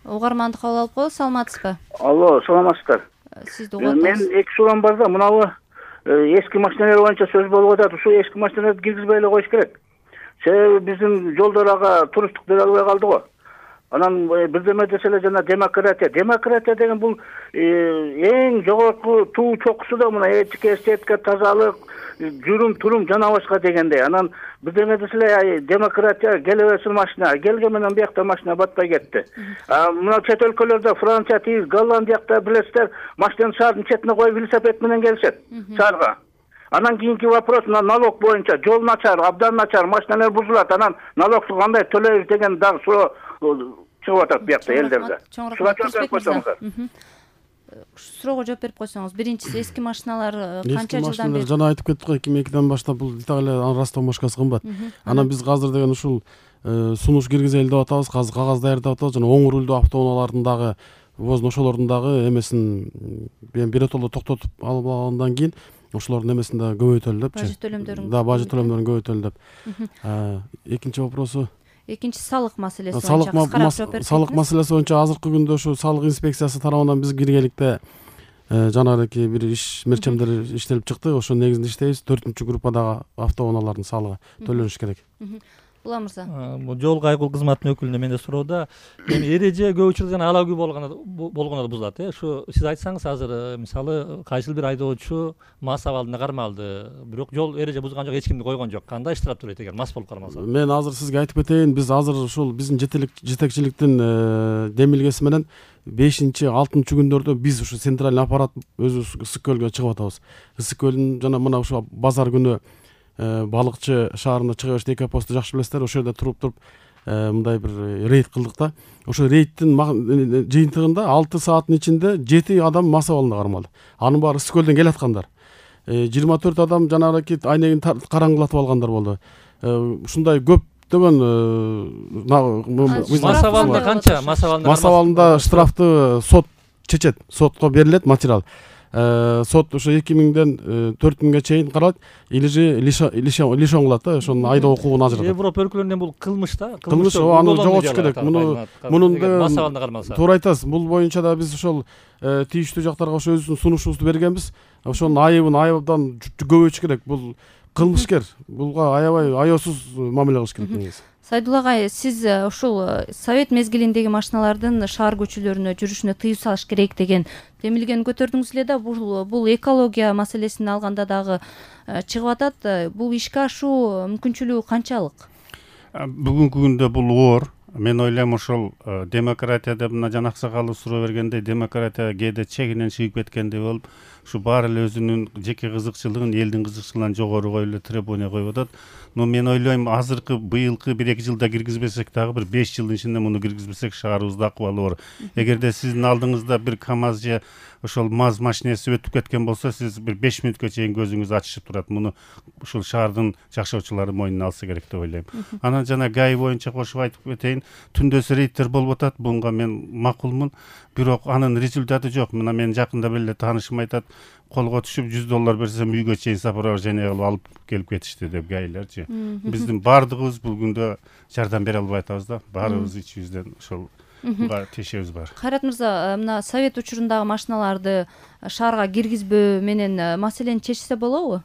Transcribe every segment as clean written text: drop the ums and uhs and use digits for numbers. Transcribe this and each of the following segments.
Угарманды кабыл алып коебуз. Саламатсызбы? Алло, саламатсыздар. Сизди угуп Мен эки суроом бар да, мынабы эски машиналар боюнча сөз болуп атат. Ушул эски машиналарды киргизбей эле коюш керек. Себеби биздин жолдор ага туруштук бере албай калды го. Анан бирдеме десе эле жана демократия деген бул эң жогорку туу чокусу да мына этика, эстетика, тазалык, жүрүм-турум жана башка дегендей. Анан бирдеме десе эле демократия келебесин машина, келген менен биякта машина батпай кетти. Мына чет өлкөлөрдө Франция, тиги Голландиякта билесиздер, машинаны шаардын четине коюп велосипед менен келишет шаарга. Анан кийинки вопрос мына налог боюнча жол начар, абдан начар, машиналар бузулат. Анан налогду кандай төлөйбүз деген дагы суроо чыгып атат буякта элдерде. Суроого жооп берип койсоңуз. Биринчиси эски машиналар канча жылдан бери? Жана айтып кеттик го, 2002-ден баштап бул Италия растовмашкасы кымбат. Анан биз азыр деген ушул сунуш киргизели деп атабыз, кагаз даярдап атабыз. Жана оң рулдуу автоунаалардын дагы ошолордун дагы эмесин биротоло токтотуп алгандан кийин ошолордун эмесин да көбөйтөлү депчи. Бажет төлөмдөрүн. Да, бажет төлөмдөрүн көбөйтөлү деп. Экинчи вопросу экинчи салык маселеси боюнча. Салык маселеси боюнча азыркы күндө ушу салык инспекциясы тарабынан биз киргеликте жанагы бир иш мерчемдер иштелип чыкты. Ошо негизинде иштейбиз. 4-группадагы автоунаалардын салыгы төлөнүш керек. Улам мырза. Бул жол кайгыл кызматынын өкүлүнө менде суроодо эми эреже көп учурда жана алагүй болгондо бузулат. Ушу сиз айтсаңыз азыр мисалы кайсыл бир айдоочу мас абалында кармалды, бирок жол эреже бузган жок, эч кимди койгон жок. Кандай штраф төлөйт эгер мас болуп кармалса? Мен азыр сизге айтып кетейин, биз азыр ушул биздин жетекчиликтин демилгеси менен 5-6 күндөрдө биз ушу центральный аппарат өзүбүз Ысык көлгө чыгып атабыз. Ысык көлдүн жана мына ушу базар күнү балыкчы шаарына чыга беришти, эки посту жакшы билесиздер. Ошол жерде туруп мындай бир рейд кылдык да. Ошо рейдтин жыйынтыгында 6 сааттын ичинде 7 адам мас абалында кармалды. Анын баары Ысык көлдөн келаткандар. 24 адам жанагы айнегин караңгылатып алгандар болду. Ушундай көптөгөн мас абалында канча? Мас абалында штрафты сот чечет, сотко берилет материал. Сот ошо 2000ден 4000ге чейин каралат, или же лишен кылат да, ошонун айдоо укугун ажыратат. Европа өлкөлөрүндө бул кылмыш да, кылмыш аны жоготуш керек. Мунун мас абалында кармалса. Туура айтасыз. Бул боюнча да биз ошол тийиштүү жактарга ошо өзүбүздүн сунушубузду бергенбиз. Ошонун айыбдан көбөйтүш керек. Бул кылмышкер. Булга аябай аяосуз мамиле кылыш керек негизи. Сайдулла агай, сиз ушул совет мезгилиндеги машиналардын шаар көчөлөрүнө жүрүшүнө тыюу салыш керек деген демилгени көтөрдүңүз эле да. Бул экология маселесин алганда дагы чыгып атат. Бул ишке ашуу мүмкүнчүлүгү канчалык? Бүгүнкү күндө бул оор. Мен ойлойм ошол демократия деп мына жана аксакалов суроо бергендей, демократия кээде чегинен чыгып кеткендей болуп, ушу баары эле өзүнүн жеке кызыкчылыгын элдин кызыкчылыгынан жогору коюп эле требование коюп атат. Но мен ойлойм азыркы быйылкы 1-2 жылда киргизбесек дагы бир 5 жылдын ичинде муну киргизбесек шаарыбызда акыбалы оор. Эгерде сиздин алдыңызда бир КАМАЗ же ошол МАЗ машинеси өтүп кеткен болсо, сиз бир 5 мүнөткө чейин көзүңүз ачышып турат. Муну ушул шаардын жашоочулары мойнуна алса керек деп ойлойм. Анан жана ГАИ боюнча кошуп айтып кетейин, түндөсү рейдтер болуп атат. Буга мен макулмун, бирок анын результаты жок. Мына мен жакында беле таанышым айтат, колго түшүп $100 берсем үйгө чейин сопровождение кылып алып келип кетишти деп ГАИлерчи. Биздин баардыгыбыз бул күндө жардам бере албай атабыз да. Баарыбыз ичибизден ошол тешебиз бар. Кайрат мырза, мына совет учурундагы машиналарды шаарга киргизбөө менен маселени чечсе болобу?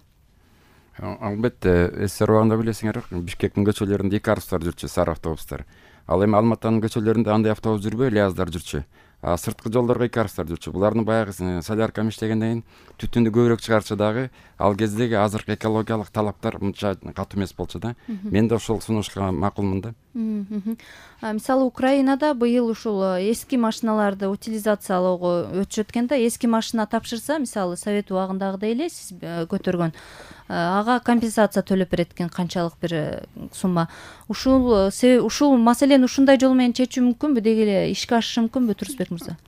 Албетте, эсиңер убагында билесиңер, Бишкектин көчөлөрүндө 2 автобустар жүрчү, сары автобустар. Ал эми Алматанын көчөлөрүндө андай автобус жүрбөй, ЛиАЗдар жүрчү. Сырткы жолдорго 2 автобустар жүрчү. Булардын баягы солярка иштегенден кийин түтүндү көбүрөөк чыгарчу дагы, ал кездеги азыркы экологиялык талаптар мынча катуу эмес болчу да. Мен да ошол сунушка макулмун да. Мисалы Украинада быйыл ушул эски машиналарды утилизациялоого өтүшөт экен да. Эски машина тапшырса, мисалы совет убагындагыдай эле сиз көтөргөн, ага компенсация төлөп берет экен, канчалык бир сумма. Ушул маселени ушундай жол менен чечүү мүмкүнбү, деги эле ишке ашышы мүмкүнбү, Турсбек мырза?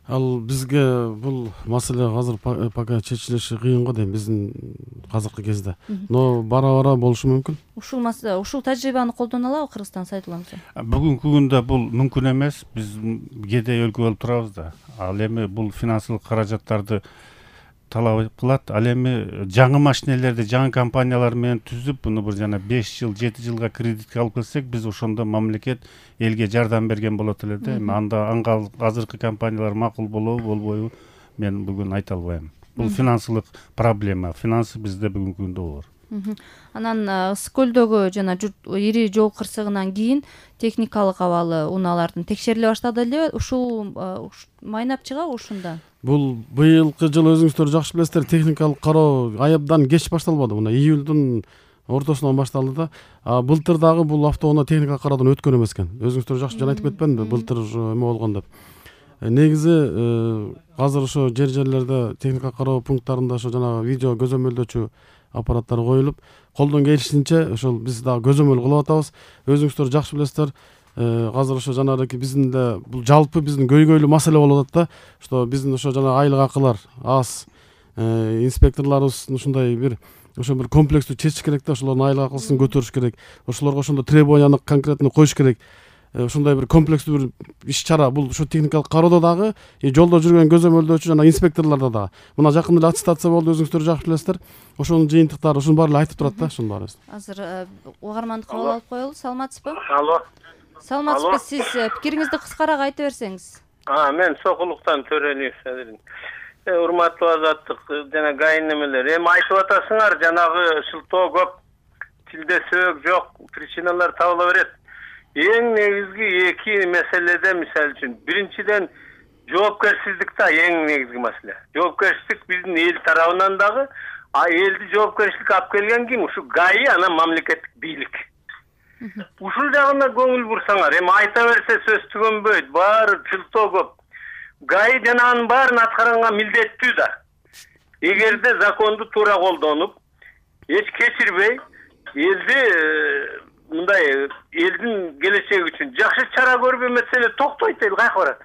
Ал бизге бул маселе азыр пока чечилиши кыйын го дейм, биздин азыркы кезде. Но бара болушу мүмкүн. Ушул тажрыйбаны колдоно алабы Кыргызстан, Сайдулла мырза? Бүгүнкү күндө бул мүмкүн эмес. Биз кедей өлкө болуп турабыз да. Ал эми бул финансылык каражаттарды талап кылат. Ал эми жаңы машинелерди жаңы компаниялар менен түзүп, буну бир жана 5 жыл, 7 жылга кредитке алып келсек, биз ошондо мамлекет элге жардам берген болот эле да. Эми анда азыркы компаниялар макул болобу, болбойбу, мен бүгүн айта албайм. Бул финансылык проблема. Финансы бизде бүгүнкү күндө бар. Анан ысык көлдөгү жана ири жол кырсыгынан кийин техникалык абалы унаалардын текшериле баштады эле. Ушул майнап чыгабы ушунда? Бул быйылкы жыл өзүңүздөр жакшы билесиздер, техникалык кароо аябдан кеч башталбады. Мына июлдун ортосунан башталды да. Былтыр дагы бул автоунаа техникалык кароодон өткөн эмес экен. Өзүңүздөр жакшы жана айтып кетпедимби? Былтыр эме болгон деп. Негизи азыр ошо жерлерде техникалык кароо пункттарында ошо жана видео көзөмөлдөөчү аппараттар коюлуп, колдон келишинче ошол биз дагы көзөмөл кылып атабыз. Өзүңүздөр жакшы билесиздер, азыр ошо жанагы биздин да бул жалпы биздин көйгөйлүү маселе болуп атат да. Что биздин ошо жана айлык акылар аз, инспекторлорубуз ушундай бир комплекстүү чечиш керек да, ошолордун айлык акысын көтөрүш керек. Ошолорго ошондой требованияны конкретно коюш керек. Ушундай бир комплекстүү бир иш чара бул ошо техникалык кароодо дагы, жолдо жүргөн көзөмөлдөөчү жана инспекторлордо дагы. Мына жакында эле аттестация болду, өзүңүздөр жакшы билесиздер. Ошонун жыйынтыктары ушунун баары эле айтып турат да, ушунун баары. Азыр угарманды кабыл алып коелу. Саламатсызбы? Алло. Саламатсызбы? Сиз пикириңизди кыскараак айта берсеңиз. Мен Сокулуктан Төрөлиев. Урматтуу азаттык жана гайын немелер. Эми айтып атасыңар, жанагы шылтоо көп, тилде сөк жок, причиналар табыла берет. Эң негизги эки маселеде, мисалы үчүн, биринчиден жоопкерчилик да эң негизги маселе. Жоопкерчилик биздин эл тарабынан дагы, элди жоопкерчиликке алып келген ким? Ушу ГАИ, анан мамлекеттик бийлик. Ушул жагына көңүл бурсаңар, эми айта берсе сөз түгөнбөйт, баары шылтоо көп. ГАИ жана анын баарын аткаранга милдеттүү да. Эгерде законду туура колдонуп, эч кечирбей, элди мындай элдин келечеги үчүн жакшы чара көрбөй маселе токтойт, эл кайка барат.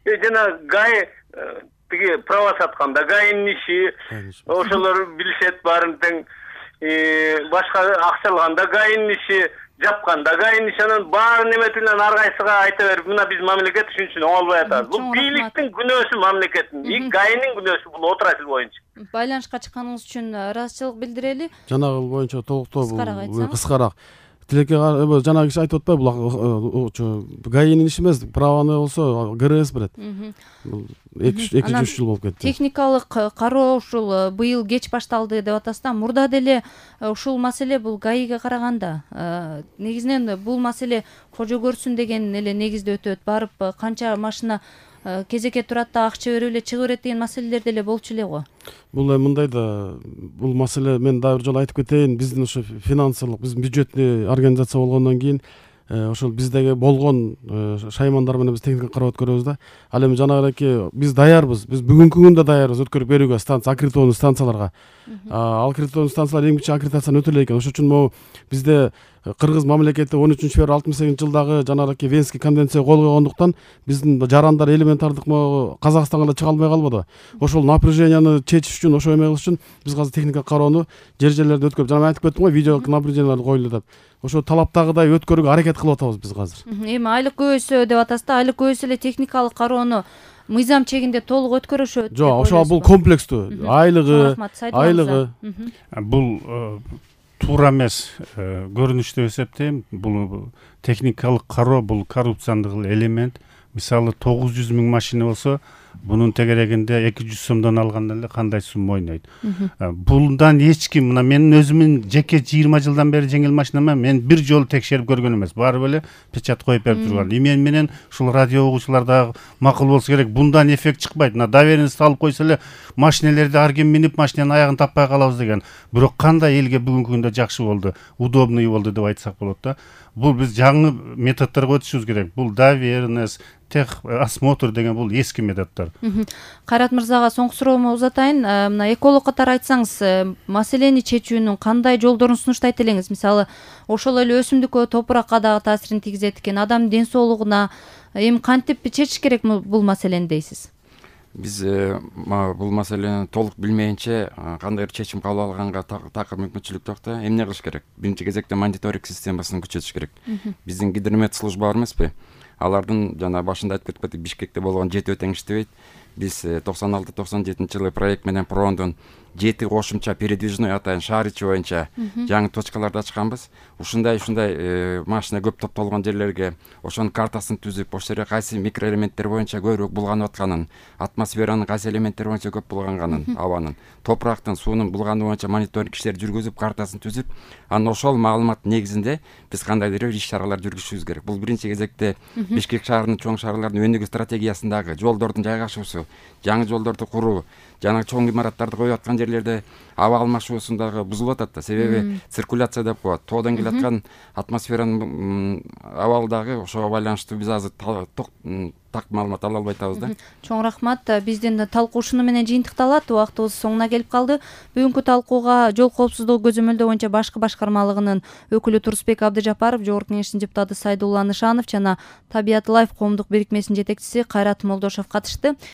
Жана ГАИ тиги права сатканда ГАИнин иши, ошолор билишет баарын тең, башка акчалганда ГАИнин иши, жапканда ГАИнин иши, анан баарын эметилен ар кайсыга айта берип, мына биз мамлекет үчүн оңолбой атабыз. Бул бийликтин күнөөсү, мамлекеттин, ГАИнин күнөөсү бул отрасль боюнча. Байланышка чыкканыңыз үчүн ыраазычылык билдирели. Жанагы боюнча толуктоо кыскараак. Тилекке жанагы киши айтып атпайбы, бул ГАИнин иши эмес, праваны болсо ГРС берет. 2-3 жыл болуп кетти. Техникалык кароо ушул быйыл кеч башталды деп атасыз да, мурда деле ушул маселе бул ГАИге караганда негизинен бул маселе кожо көрсүн деген эле негизде өтөт. Барып канча машина кезекке турат да акча берип эле чыгып берет деген маселелер деле болчу эле го. Бул мындай да, бул маселе мен дагы бир жолу айтып кетейин, биздин ошо финансылык, биздин бюджетный организация болгондон кийин ошол биздеги болгон шаймандар менен биз техника карап өткөрөбүз да. Ал эми жанагыраки биз даярбыз, биз бүгүнкү күндө даярбыз өткөрүп берүүгө аккредитованный станцияларга. Аккредитованный станциялар эң кичи аккредитацияны өтө элек экен. Ошон үчүн могу бизде Кыргыз мамлекети 13-февраль 68-жылдагы жанагы Венский конвенция кол койгондуктан биздин жарандар элементардык могу Казакстанга чыга албай калбады. Ошол напряженияны чечиш үчүн, ошо эме кылыш үчүн биз азыр техника кароону жерлерде өткөрүп, жана мен айтып кеттим го, видео наблюдениялар коюлду деп. Ошо талаптагыдай өткөрүүгө аракет кылып атабыз биз азыр. Эми айлык көбөйсө деп атасыз да, айлык көбөйсө эле техникалык кароону мыйзам чегинде толук өткөрүшөт. Жок, ошо бул комплекстүү. Айлыгы. Бул туура эмес көрүнүш деп эсептейм. Бул техникалык кароо бул коррупциялык элемент. Мисалы 900 000 машина болсо, бунун тегерегинде 200 сомдон алганда эле кандай сумма ойнойт. Булдан эч ким, мына менин өзүмүн жеке 20 жылдан бери жеңил машинама мен бир жолу текшерип көргөн эмес. Баары эле печат коюп берип турган. Мен менен ушул радио угуучулар дагы макул болсо керек. Bundan эффект чыкпайт. Мына доверенность алып койсо эле машинелерди ар ким минип машинанын аягын таппай калабыз деген. Бирок кандай элге бүгүнкү күндө жакшы болду, удобный болду деп айтсак болот да. Бул биз жаңы методдорго өтүшүбүз керек. Бул доверенность, тех осмотр деген бул эски методдор. Кайрат мырзага соңку суроомду узатайын. Мына эколог катары айтсаңыз, маселени чечүүнүн кандай жолдорун сунуштайт элеңиз? Мисалы, ошол эле өсүмдүккө, топуракка дагы таасирин тийгизет экен, адамдын ден соолугуна эми кантип чечиш керек бул маселени дейсиз? Биз бул маселени толук билмейинче кандайдыр чечим кабыл алганга такыр мүмкүнчүлүк жок да. Эмне кылыш керек? Биринчи кезекте мониторинг системасын күчөтүш керек. Биздин гидромет служба бар эмеспи? Алардын жана башында айтып кетип Бишкекте болгон жетөө тең иштебейт. биз 96-97 проект менен Пробондон 7 кошумча передвижной атайын шаар ичи боюнча жаңы точкаларды ачканбыз. Ушундай машина көп топтолгон жерлерге ошонун картасын түзүп, ошол жерге кайсы микроэлементтер боюнча көбүрөөк булганып атканын, атмосферанын кайсы элементтери боюнча көп булганганын, абанын, топурактын, суунун булгануу боюнча мониторинг иштер жүргүзүп, картасын түзүп, анан ошол маалымат негизинде биз кандайдыр бир иш-чаралар жүргүзүшүбүз керек. Бул биринчи кезекте Бишкек шаарынын чоң шаарлардын өнүгүү стратегиясындагы жолдордун жайгашуусу, жаңы жолдорду куруу, жана чоң имараттарды коюп аткан жерлерде аба алмашуусундагы бузулуп атат да. Себеби циркуляция деп коет. Тоодон келаткан атмосферанын абалдагы ошого байланыштуу биз азыр так маалымат ала албай атабыз да. Чоң рахмат. Биздин талкуу ушуну менен жыйынтыкталат. Убактыбыз соңуна келип калды. Бүгүнкү талкууга жол коопсуздугу көзөмөлдөө боюнча башкы башкармалыгынын өкүлү Турсбек Абдыжапаров, Жогорку Кеңештин депутаты Сайдулла Нышанов жана Табиат Лайф коомдук бирикмесинин жетекчиси Кайрат Молдошов катышты.